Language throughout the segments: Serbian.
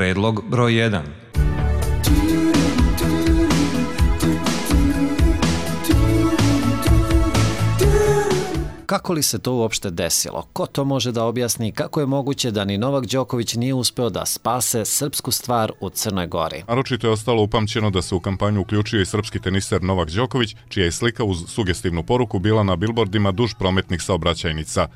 Predlog broj 1. Kako li se to uopšte desilo? Ko to može da objasni? Kako je moguće da ni Novak Đoković nije uspeo da spase srpsku stvar u Crnoj Gori? Naročito je ostalo upamćeno da se u kampanju uključio i srpski teniser Novak Đoković, čija je slika uz sugestivnu poruku bila na bilbordima duž prometnih saobraćajnica.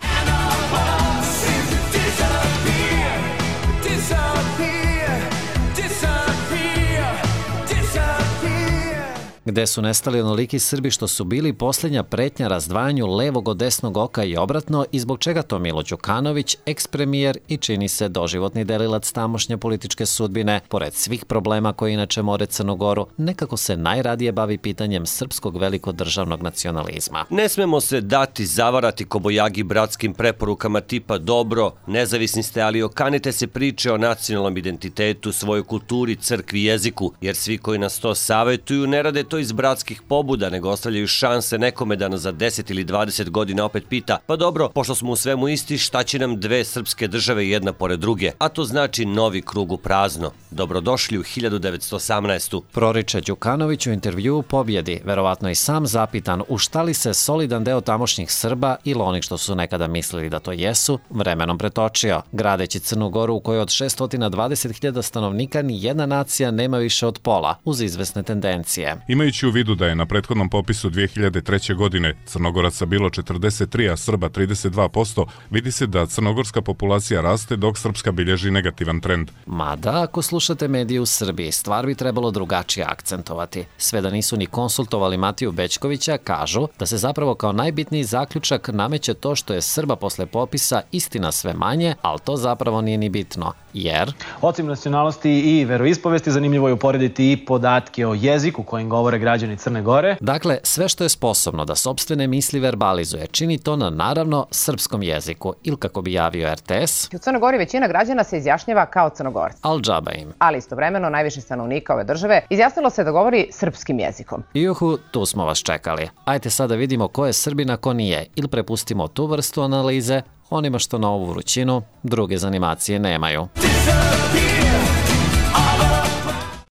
Gde su nestali onoliki Srbi što su bili posljednja pretnja razdvajanju levog od desnog oka i obratno i zbog čega to Milo Đukanović, eks-premijer i čini se doživotni delilac tamošnje političke sudbine, pored svih problema koje inače more Crnu Goru, nekako se najradije bavi pitanjem srpskog velikodržavnog nacionalizma. Ne smemo se dati zavarati kobojagi bratskim preporukama tipa dobro, nezavisni ste, ali okanite se priče o nacionalnom identitetu, svojoj kulturi, crkvi, jeziku, jer svi koji nas to savetuju ne rade to iz bratskih pobuda, nego ostavljaju šanse nekome da nas za 10 ili 20 godina opet pita, pa dobro, pošto smo u svemu isti, šta će nam dve srpske države jedna pored druge? A to znači novi krug u prazno. Dobrodošli u 1918. Proriče Đukanović u intervjuu Pobjedi, verovatno i sam zapitan u šta li se solidan deo tamošnjih Srba ili onih što su nekada mislili da to jesu, vremenom pretočio, gradeći Crnu Goru u kojoj od 620.000 stanovnika ni jedna nacija nema više od pola, uz izvesne tendencije. Imajući u vidu da je na prethodnom popisu 2003. godine Crnogoraca bilo 43, a Srba 32%, vidi se da crnogorska populacija raste dok srpska bilježi negativan trend. Mada, ako slušate medije u Srbiji, stvar bi trebalo drugačije akcentovati. Sve da nisu ni konsultovali Matiju Bećkovića, kažu da se zapravo kao najbitniji zaključak nameće to što je Srba posle popisa istina sve manje, ali to zapravo nije ni bitno, jer... Osim nacionalnosti i veroispovesti, zanimljivo je uporediti i podatke o jeziku kojim govore građani Crne Gore. Dakle, sve što je sposobno da sopstvene misli verbalizuje, čini to na, naravno, srpskom jeziku, ili kako bi javio RTS. U Crnoj Gori većina građana se izjašnjava kao Crnogorci. Al džaba im. Ali istovremeno najviše stanovnika ove države izjasnilo se da govori srpskim jezikom. Juhu, tu smo vas čekali. Ajde sad da vidimo ko je Srbin, a ko nije, ili prepustimo tu vrstu analize onima što na ovu vrućinu druge zanimacije nemaju.